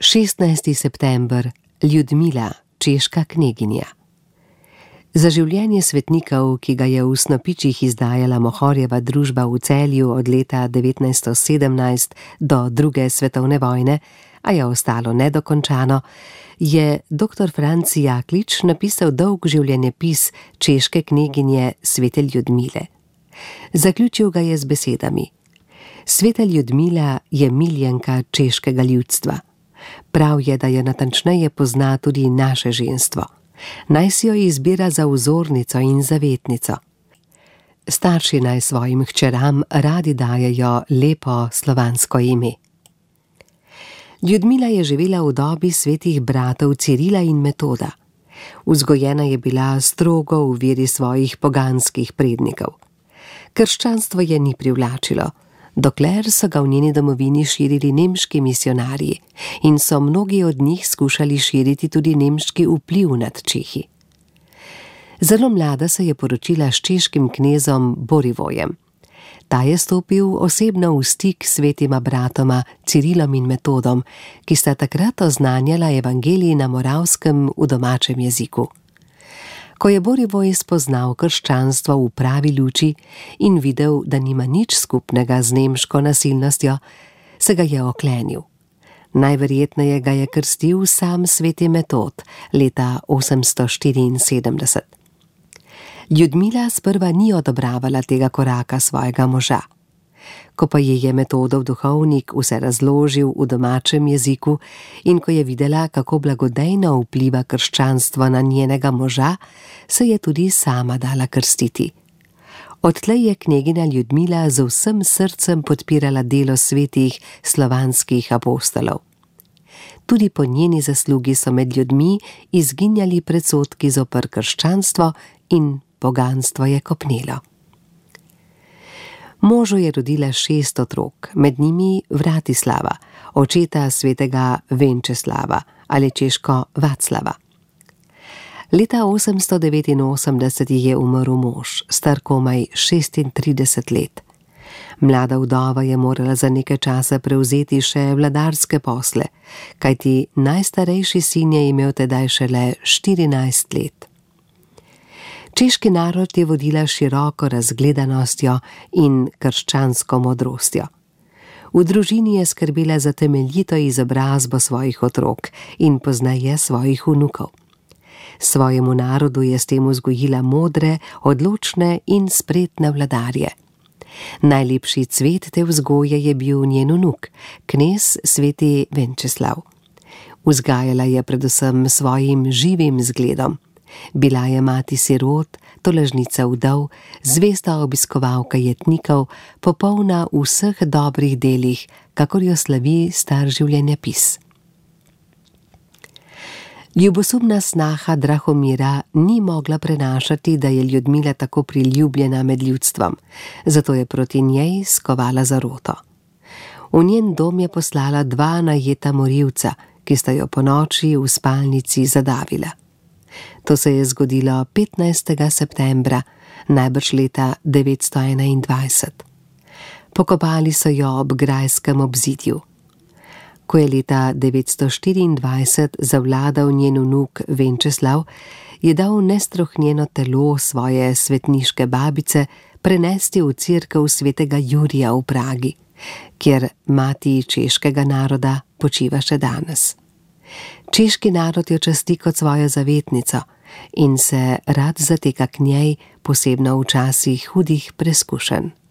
16. september, Ljudmila, češka kneginja. Za življenje svetnikov, ki ga je v Snopičih izdajala Mohorjeva družba v Celju od leta 1917 do druge svetovne vojne, a je ostalo nedokončano, je dr. Franci Jaklič napisal dolg življenjepis češke kneginje svete Ljudmile. Zaključil ga je z besedami: Sveta Ljudmila je miljenka češkega ljudstva. Prav je, da jo natančneje pozna tudi naše ženstvo. Naj si jo izbira za vzornico in zavetnico. Starši naj svojim hčeram radi dajejo lepo slovansko ime. Ljudmila je živela v dobi svetih bratov Cirila in Metoda. Vzgojena je bila strogo v veri svojih poganskih prednikov. Krščanstvo je ni privlačilo, dokler so ga v njeni domovini širili nemški misionarji in so mnogi od njih skušali širiti tudi nemški vpliv nad Čehi. Zelo mlada se je poročila s češkim knezom Borivojem. Ta je stopil osebno v stik s svetima bratoma Cirilom in Metodom, ki sta takrat oznanjala evangelij na Moravskem v domačem jeziku. Ko je Borivoj spoznal krščanstvo v pravi luči in videl, da nima nič skupnega z nemško nasilnostjo, se ga je oklenil. Najverjetneje ga je krstil sam sveti Metod leta 874. Ljudmila sprva ni odobravala tega koraka svojega moža. Ko pa ji je Metodov duhovnik vse razložil v domačem jeziku in ko je videla, kako blagodejno vpliva krščanstvo na njenega moža, se je tudi sama dala krstiti. Odtlej je kneginja Ljudmila z vsem srcem podpirala delo svetih slovanskih apostolov. Tudi po njeni zaslugi so med ljudmi izginjali predsodki zoper krščanstvo in poganstvo je kopnelo. Možu je rodila 6 otrok, med njimi Vratislava, očeta svetega Venčeslava ali češko Vaclava. Leta 889 je umrl mož, star komaj 36 let. Mlada vdova je morala za nekaj časa prevzeti še vladarske posle, kajti najstarejši sin je imel tedaj šele 14 let. Češki narod je vodila široko razgledanostjo in krščansko modrostjo. V družini je skrbela za temeljito izobrazbo svojih otrok in pozneje svojih vnukov. Svojemu narodu je s tem vzgojila modre, odločne in spretne vladarje. Najlepši cvet te vzgoje je bil njen vnuk, knez sveti Venčeslav. Vzgajala je predvsem svojim živim zgledom. Bila je mati sirot, tolažnica vdov, zvesta obiskovalka jetnikov, popolna v vseh dobrih delih, kakor jo slavi star življenjepis. Ljubosumna snaha Drahomira ni mogla prenašati, da je Ljudmila tako priljubljena med ljudstvom, zato je proti njej skovala zaroto. V njen dom je poslala 2 najeta morilca, ki sta jo ponoči v spalnici zadavila. To se je zgodilo 15. septembra, najbrž leta 921. Pokopali so jo ob grajskem obzidju. Ko je leta 924 zavladal njen vnuk Venčeslav, je dal nestrohnjeno telo svoje svetniške babice prenesti v cerkev svetega Jurija v Pragi, kjer mati češkega naroda počiva še danes. Češki narod jo časti kot svojo zavetnico in se rad zateka k njej, posebno v časih hudih preskušenj.